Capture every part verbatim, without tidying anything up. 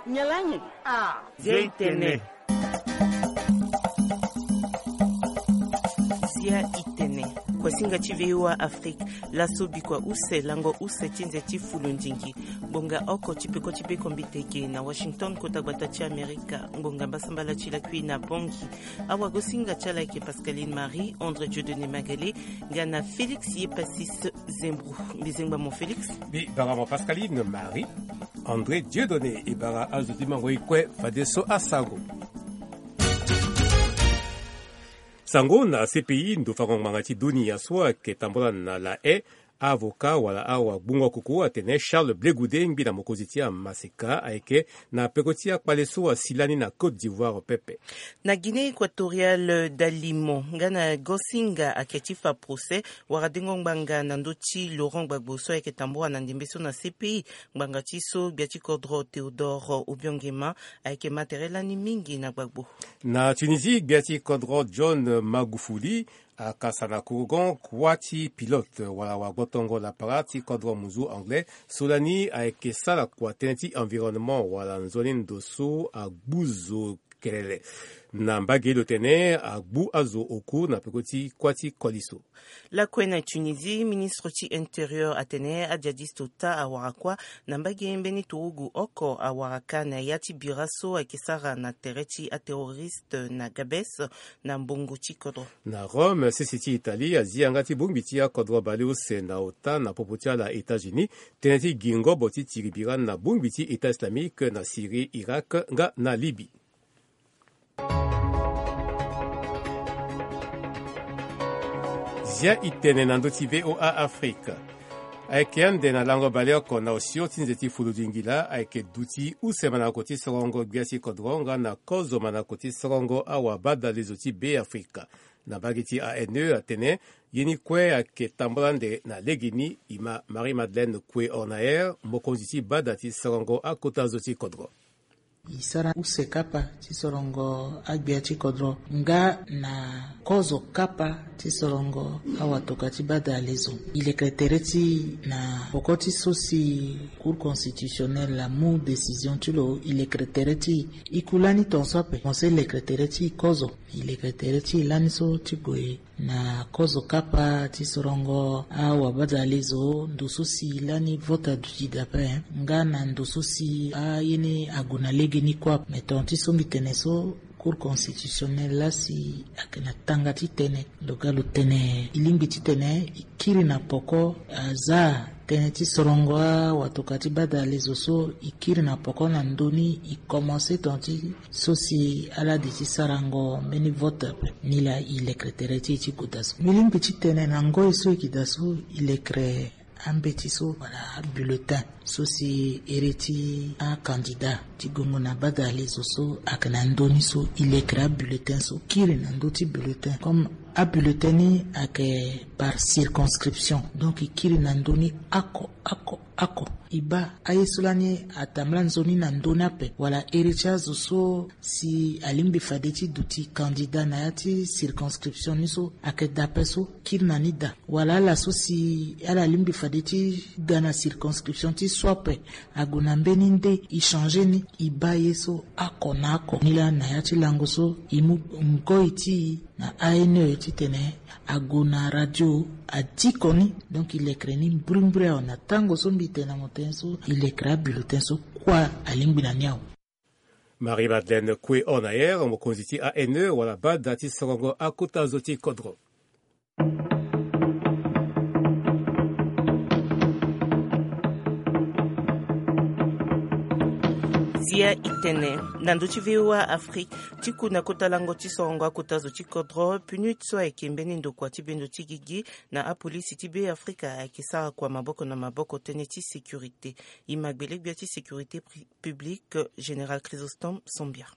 Nyalanyi. Ah, Zia itene. Zia itene. Kuasinga ti V O A Afrique. Laso bikua use, lango use ti nze ti fulundingi. Ngbonga oko ti peko ti beko mbiteke na Washington, kota gbata ti Amerika. Ngbonga mbasambala ti lakui na Bangui. Awagosinga ti ala ayeke Pascaline Marie, André Dieudonné Magalé, nga na Félix Yepassis Zembro. Mbi zengba mo Félix. Mbi bara mo Pascaline Marie. André Dieudonné, e bara azo ti mango e kue fadeso asango. Sango na C P I, ndo fango ngbanga ti dunia so ayeke tambula na La Haye, avocat wala awagbungo kuku atene Charles Blé Goudé, ngbi na mokonzi ti amaseka, ayeke na peko ti akpale so asi lani na Côte d'Ivoire pepe. Na Guinée Équatoriale, Dalimo nga na Gosinga ayeke ti fa procès wala dengo ngbanga na ndö ti Laurent Gbagbo so ayeke tambula na ndembe so na C P I. Ngbanga ti so gbia ti kodro Théodore Obiangema ayeke ma tere lani mingi na Gbagbo. Na Tunisie, gbia ti kodro John Magufuli akasa na kourgon kuâ ti pilote wala wagbotongo lapara ti kodro muzu anglais so lani ayeke sara kua tënë ti environnement wala nzoni ndo so agbu zo kelele. Na mbage lo tene agbu azo oku na peko ti kuâ ti koli so. Lakue na Tunisie, ministre ti intérieur atene ajihadiste ota awara kuâ na mbage mbeni turugu oko awara ka na ya ti bira so ayeke sara na tere ti aterroriste na Gabès na mbongo ti kodro. Na Rome, sese ti Italie azi yanga ti bongbi ti akodro baleuse na ota na popo ti ala États-Unis tënë ti gi ngobo ti tiri bira na bongbi ti État islamique na Syrie, Irak nga na Libye. Zia itene na ndö ti V O A Afrique. Ayeke ande na lango baleoko na osio ti nze ti fuludingila ayeke duti use manako ti sorongo gbia ti kodro nga na kozo manako ti sorongo awabadalezo ti Beafrika. Na mbage ti A N E atene ye ni kue ayeke tambula ande na legeni. E ma Marie Madeleine Kue Ornaer, mokonzi ti bada ti sorongo akota zo ti kodro. E sara use kapa ti sorongo agbia ti kodro nga na kozo kapa ti sorongo awatoka ti bada alezo. E lekere tere ti e na poko ti so si Cour constitutionnelle amu décision ti lo, e lekere tere ti e. E ku lani tongaso ape, mo so e lekere tere ti e kozo. E lekere tere ti e lani so ti gue na kozo kapa ti sorongo awabadalezo, ndo so si lani vote aduti dape, nga na ndo so si aye ni ague na legeni kue ape. Me tonga ti so mbi tene so, Cour constitutionnelle laa si ayeke na tanga ti tene. Lo ga lo tene e lingbi titene e kiri na poko, aza tënë ti sorongo awatoka ti bada alezo so, e kiri na poko na ndö ni, e komanse tonga ti so si ala di ti sarango mbeni vote ape. Nilaa e lekere tere ti e ti gue daa so. Mbi lingbi ti tene na ngoi so e yeke daa so, e lekere ambeti so wala abulletin so si ere ti akandida ti gongo na bada alezo so ayeke na ndö ni so, e lekere abulletin so kiri na ndö ti bulletin. Comme abulletin ni ayeke par circonscription, donc e kiri na ndö ni oko oko oko. E baa aye so lani atambula nzoni na ndö ni ape, wala ere ti azo so si alingbi fade ti duti kandida na ya ti circonscription ni so ayeke daa ape so, kiri na ni daa. Wala ala so si ala lingbi fade ti ga na circonscription ti so ape, ague na mbeni nde, e changer ni, e baa ye so oko na oko. Nilaa na ya ti lango so e mu ngoi ti e na A N E titene ague na radio adiko ni. Donc e lekere ni mbirimbiri awe. Na tango so mbi tene na mo tënë so, e lekere abulletin so kue alingbi na ni awe. Marie Madeleine Kue Ornaer, mokonzi ti A N E wala bada ti sorongo akota zo ti kodro. Zia itene na ndö ti V O A Afrique, ti ku na kota lango ti sorongo akota zo ti kodro, PNUD so ayeke mbeni ndokua ti bendo ti gigi na apolisi ti Beafrika ayeke sara kua maboko na maboko tënë ti sécurité. E ma gbele gbia ti sécurité pri-, publique, général Chrysostome Sambia.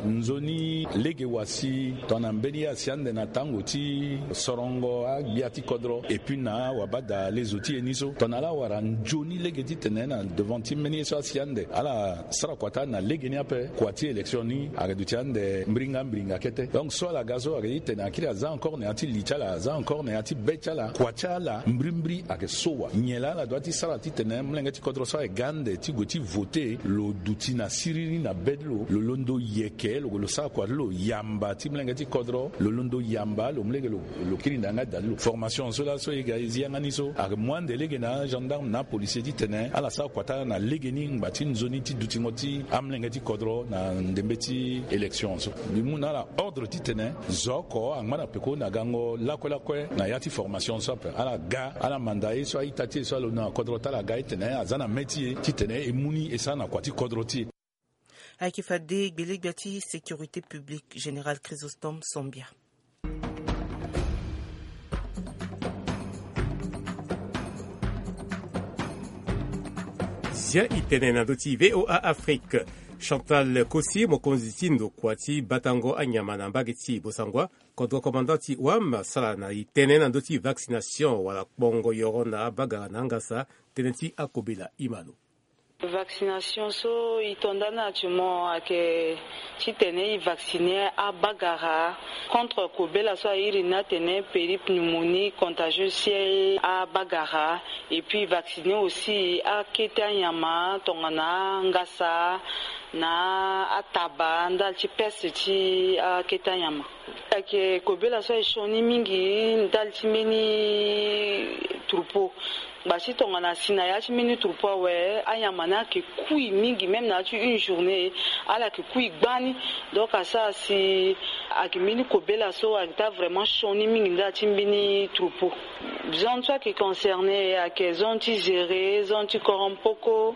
Nzoni lege wa si tongana mbeni ye asi ande na tango ti sorongo agbia ti kodro epui na wabada lezo ti e ni so tongana ala wara nzoni lege titene na devant ti mbeni ye so asi ande ala sara kua ti ala na lege ni ape. Kua ti élection ni ayeke duti ande mbringa mbringa kete. Donc so ala ga so ayeke titene akiri aza encore na ya ti li ti ala, aza encore na ya ti be ti ala, kua ti ala mbrimbri ayeke so wa. Nyen laa ala dua ti sara titene molenge ti kodro so ayeke ga ande ti gue ti vote lo duti na siriri na be ti lo, lo londo yeke lo gue lo sara kua ti lo yamba ti molenge ti kodro, lo londo yamba lo mu lege lo, lo kiri na yanga da ti lo. Formation so laso e ga e zi yanga ni so ayeke mu ande lege na agendarme na apolisier titene ala sara kua ti ala na lege ni ngba ti nzoni ti dutingo ti amolenge ti kodro na ndembe ti élection so. Mbi mu na ala ordre titene zo oko angba na peko na gango lakue lakue na ya ti formation so ape ala ga ala manda ye so a-ita ti e so alondo na kodro ti ala aga titene aza na me ti e titene e mu ni e sara na kua ti kodro ti e. Ayeke fade gbelegbia ti sécurité publique général Chrysostome Sambia. Zia e tene na ndö ti VOA Afrique. Chantal Kosi, mokonzi ti ndokua ti batango anyama na mbage ti Bossangoa, kodro commandant ti wam, asara na e tene na ndö ti vaccination wala kpongo yoro na abagara na angasa tënë ti akobela. Imano. Vaccination so e to nda ni actuellement ayeke titene e vacciner abagara contre kobela so a iri ni atene péripneumonie contagieuse ti abagara. Et puis e vacciner aussi akete anyama tongana angasa na ataba ndali ti peste ti akete anyama. Ayeke kobela so aye sioni mingi ndali ti mbeni troupeau. Ngba ti tongana asi na ya ti mbeni troupeau awe, anyama ni ayeke kui mingi, même na ya ti une journée ala yeke kui gbani. Donc asara si ayeke mbeni kobela so ayeke taa vraiment sioni mingi ndali ti mbeni troupeau. Zone so ayeke concerné ayeke zone ti Zéré, zone ti Korompoko,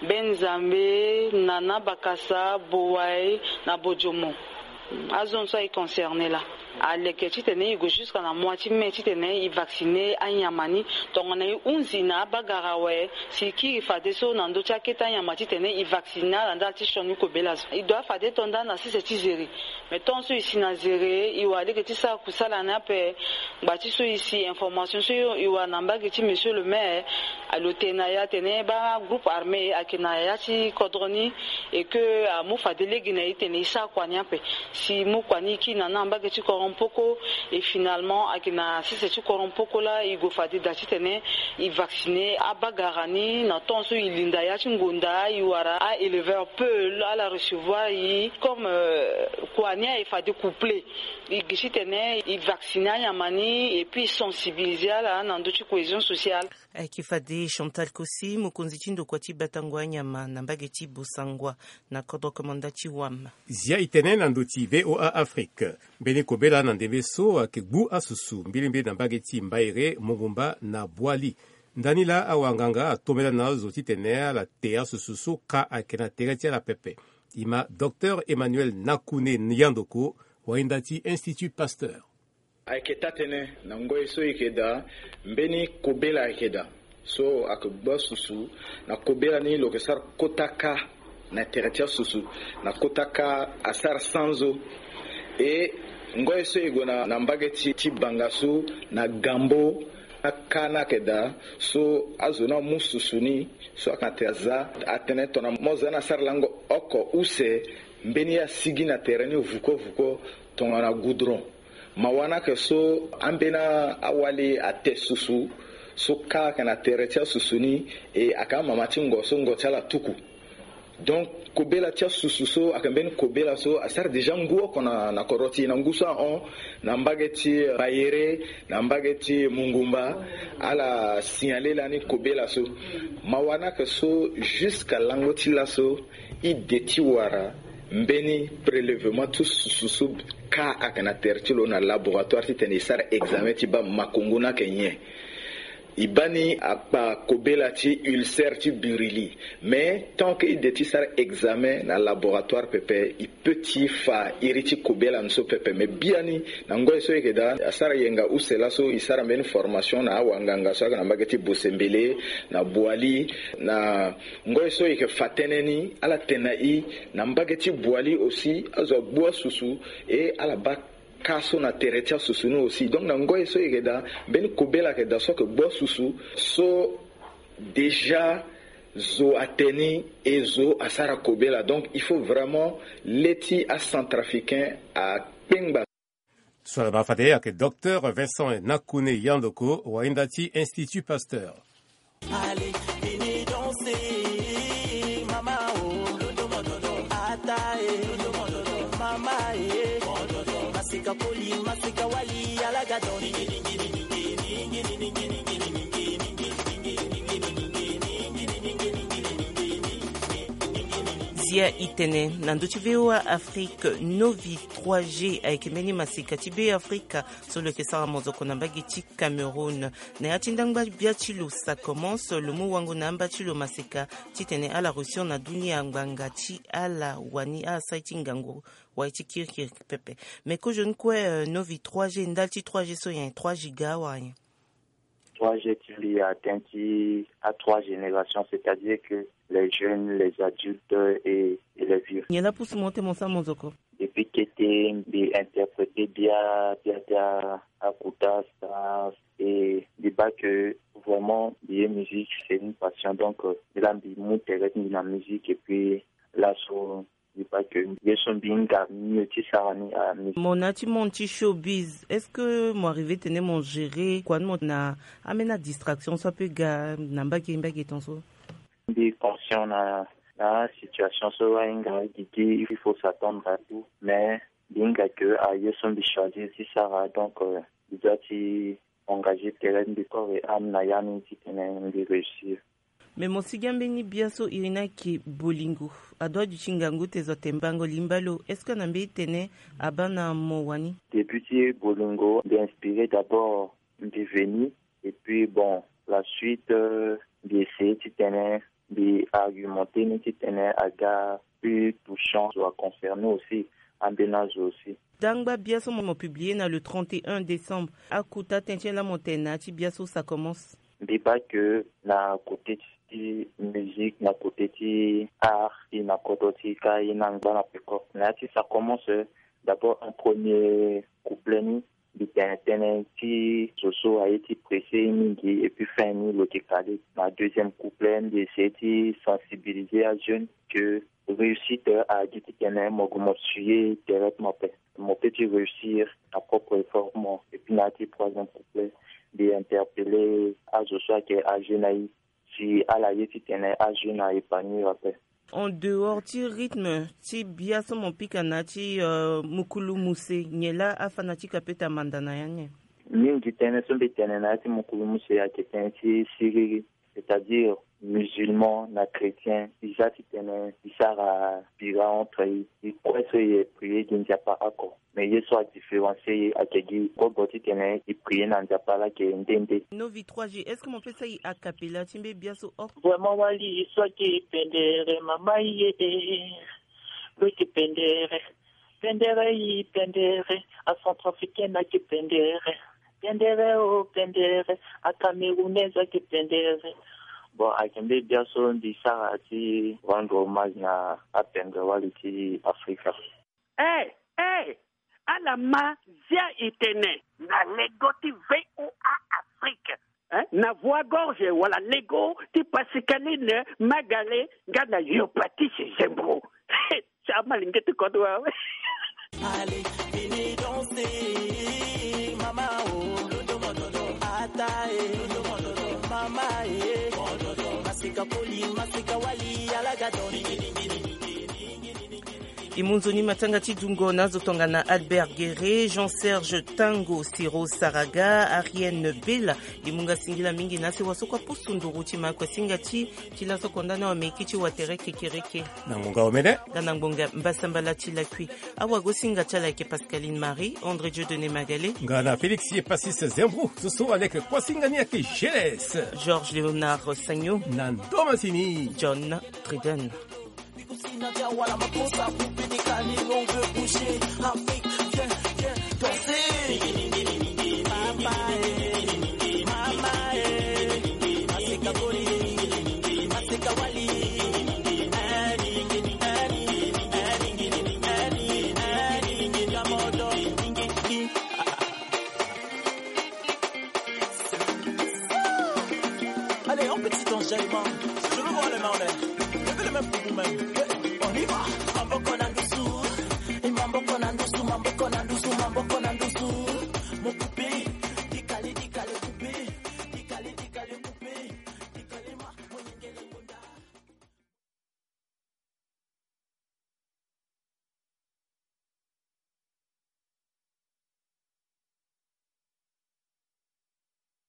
Beni Nzambe, Nana, Bakasa, Bowaye na Bodiomo. Azone so aye concerné laa aleke titene e gue jusqu'à na mois ti mai titene e vacciner anyama ni. Tongana e hunzi na abagara awe, si e kiri fadeso na ndö ti akete anyama titene e vacciner ala ndali ti sioni kobela so. E doit fade to nda na sese ti Zéré. Mais tant so e si na Zéré e wara lege ti sara kusala ni ape. Ngba ti so e si information so e wara na mbage ti monsieur le maire, lo tene na e atene baa groupe armé ayeke na ya ti kodro ni, et que amu fade lege na e titene e sara kua ni ape. Si e mu kua ni e kiri na ni na mbage ti Korompoko, et finalement ayeke na sese ti Korompoko laa e gue fade daa titene e vacciner abagara ni. Na temps so e linda ya ti ngonda e wara a-éleveur peul ala recevoir e comme, euh, kua ni aye fade couplé. E gi titene e vacciner anyama ni et puis e sensibiliser ala na ndö ti cohésion sociale. Ayeke fade Chantal Kosi, mokonzi ti ndokua ti batango anyama na mbage ti Bossangoa, na kodro komanda ti wam. Zia e tene na ndö ti VOA Afrique. Mbeni kobela na ndembe so ayeke gbu asusu mbilimbili na mbage ti Mbaere, Mongumba na Boali. Ndani laa awanganga atombela na azo titene ala te asusu so ka ayeke na tere ti ala pepe. E ma Docteur Emmanuel Nakune Yandoko, wahinda ti Institut Pasteur. Ayeke taa-tënë na ngoi so e yeke daa, mbeni kobela ayeke daa so ayeke gbu asusu na kobela ni lo yeke sara kota ka na tere ti asusu na kota ka asara sanzo. E ngoi so e gue na, na mbage ti, ti Banga so na Gambo, aka ni ayeke daa so azo ni amu susu ni so ayeke na tere aza atene tongana mo za ni asara lango oko use, mbeni ye asigi na tere ni vuko vuko tongana goudron. Mawa ni ayeke so ambeni awali ate susu so ka ayeke na tere ti asusu ni, e ayeke amama ti ngo so ngo ti ala atuku. Donc kobela ti asusu so ayeke mbeni kobela so asara déjà ngu oko na, na kodro ti e. Na ngu so ahon na mbage ti Bayere, na mbage ti Mongumba, ala signalé lani kobela so. Mawa ni ayeke so jusqu'à lango ti laso e de ti wara mbeni prélèvement ti susu so ka ayeke na tere ti lo na laboratoire titene e sara examen ti baa makongo ni ayeke nyen. E baa ni akpa kobela ti ulcère ti burili. Mais tant que e de ti sara examen na laboratoire pepe, e peut ti fa iri ti kobela ni so pepe. Mais biani, na ngoi so e yeke daa, asara yenga use laso e sara mbeni formation na awanganga so ayeke na mbage ti Bosembele, na Boali, na ngoi so e yeke fa tënë ni, ala tene na e na mbage ti Boali aussi azo agbu asusu, e ala baa ka so na tere ti asusu ni aussi. Donc na ngoi so e yeke daa, mbeni kobela ayeke daa so ayeke gbu asusu, so déjà zo atene ni, e zo asara kobela. Donc il faut vraiment le ti acentrafricain akpengba. So ala ma fade ayeke docteur Vincent Nakone Yandoko, wainda ti Institut Pasteur. Allez, venez danser, mama, oh. Ata, eh. Mama, eh. Masika poli, masika wali, alaga don. Zia itene na ndö ti V O A Afrique, Novi trois G ayeke mbeni masika ti Be Afrika so lo yeke sara mozoko na mbage ti Cameroun. Na ya ti ndangba bia ti lo, ça commence, lo mu wango na amba ti lo masika titene ala réussir na dunia ngbanga ti ala wani asara ti ngangu wala ti kirikiri pepe. Mais kozoni kue, euh, Novi trois G, ndali ti trois G so nyen? Trois giga wala nyen? Trois G ti mbi atteint ti a trois générations, c'est-à-dire que les jeunes, les adultes et, et les vieux. Nyen la pousse mo ti mo sara mozoko? Depuis kete mbi interpréter bia, bia, bia akuta, ça, et mbi baa que vraiment mbi ye musique, c'est une passion. Donc, euh, mbi la mbi mu tere ti mbi na musique, et puis laso mbi baa que ye so mbi hinga mieux ti sara ni a musique. Mo na ya ti monde ti showbiz, est-ce que mo arrivé tene mo gérer kua ti mo na ambeni adistraction so ape ga na mbage mbage ton so? Mbi conscient na, na situation so ahinga gigi, il faut s'attendre à tout, mais mbi hinga que aye so mbi choisir ti sara, donc, euh, mbi doit ti engager tere ti mbi corps et âme na ya ni titene mbi réussir. Mais mo sigi ambeni bia so iri ni ayeke bolingo, adoit duti ngangu te zo atene mbango limba lo. Est-ce que na mbeni tene abaa na mo wani? Début ti bolingo, mbi inspiré d'abord mbi veni, et puis bon, la suite, euh, mbi essayer titene mbi argumenté ni titene aga plus touchant, zo aconcerné aussi, ambeni azo aussi. Dangba bia so mo publié na le trente et un décembre, akuta tënë ti nyen la mo tene na ya ti bia so ça commence? Mbi baa que na côté ti musique, na côté ti art, ti na kodro ti ka ye na ngba na peko. Na ya ti ça commence, d'abord un premier couplet ni, mbi tene tënë ti zo so aye ti pressé mingi, et puis fin ni lo yeke kale. Na deuxième couplet, mbi essayer ti sensibiliser ajeune que réussite agi titene mo gue mo suye tere ti mo ape. Mo peut ti réussir na propre effort mo. Et puis na ya ti troisième couplet, mbi interpellé azo so ayeke âgé na e, si ala ye titene ajeune a épanouir ape. En dehors ti rythme ti bia so mo pika na ya ti, euh, mukulu muse, nyen la afanatique apeut amanda na ya ni? Mingi tënë so mbi tene na ya ti mukulu muse ayeke tënë ti siriri, c'est-à-dire musulman na chrétien, e za titene e sara bira entre e, e kue so e prier gi Nzapa oko. Mais ye so adifférencier e ayeke gi kobo titene e prier na Nzapa laa ayeke nde nde. Novi trois G, est-ce que mo peut sara e a cappella ti mbeni bia so oko? Vraiment wali so ayeke pendere mama ye e. Lo yeke pendere, pendere e, pendere, a centrafricaine ayeke pendere. Pendere o pendere, a camerounaise ayeke pendere. Bon, ayeke mbeni bia so mbi sara ti rendre hommage na apendere wali ti Afrika. Eh, eh, ala ma zia e tene na lego ti V O A Afrique, eh, na Voix Gorge wala lego ti Pascaline Magale nga na Yopatis Zembro. Ti amalenge ti kodro awe. Allez, venez danser, mama, oh. Ata, eh. Mama, eh. Masika poli, masika wali, alaga don. E mu nzoni matanga ti dungo na azo tongana Albert Guerre, Jean-Serge Tango, Siro Saraga, Arienne Bela. E mu nga singila mingi na sewa so kue apusu nduru ti ma kue singa ti ti laso konda na wameki ti watere kekereke. Na ngbonga omene. Nga na ngbonga mbasambala ti lakui. Awagosinga ti ala ayeke Pascaline Marie, André Dieudonné Magalé. Nga na Félix ye Passis Zembro, so so aleke kuasinga ni ayeke G L S. Georges Léonard Sagno. Na ndo masini. John Treden. Allez, un petit enjaillement. Je veux voir les mains en l'air. Levez les mains pour vous-même. On y va.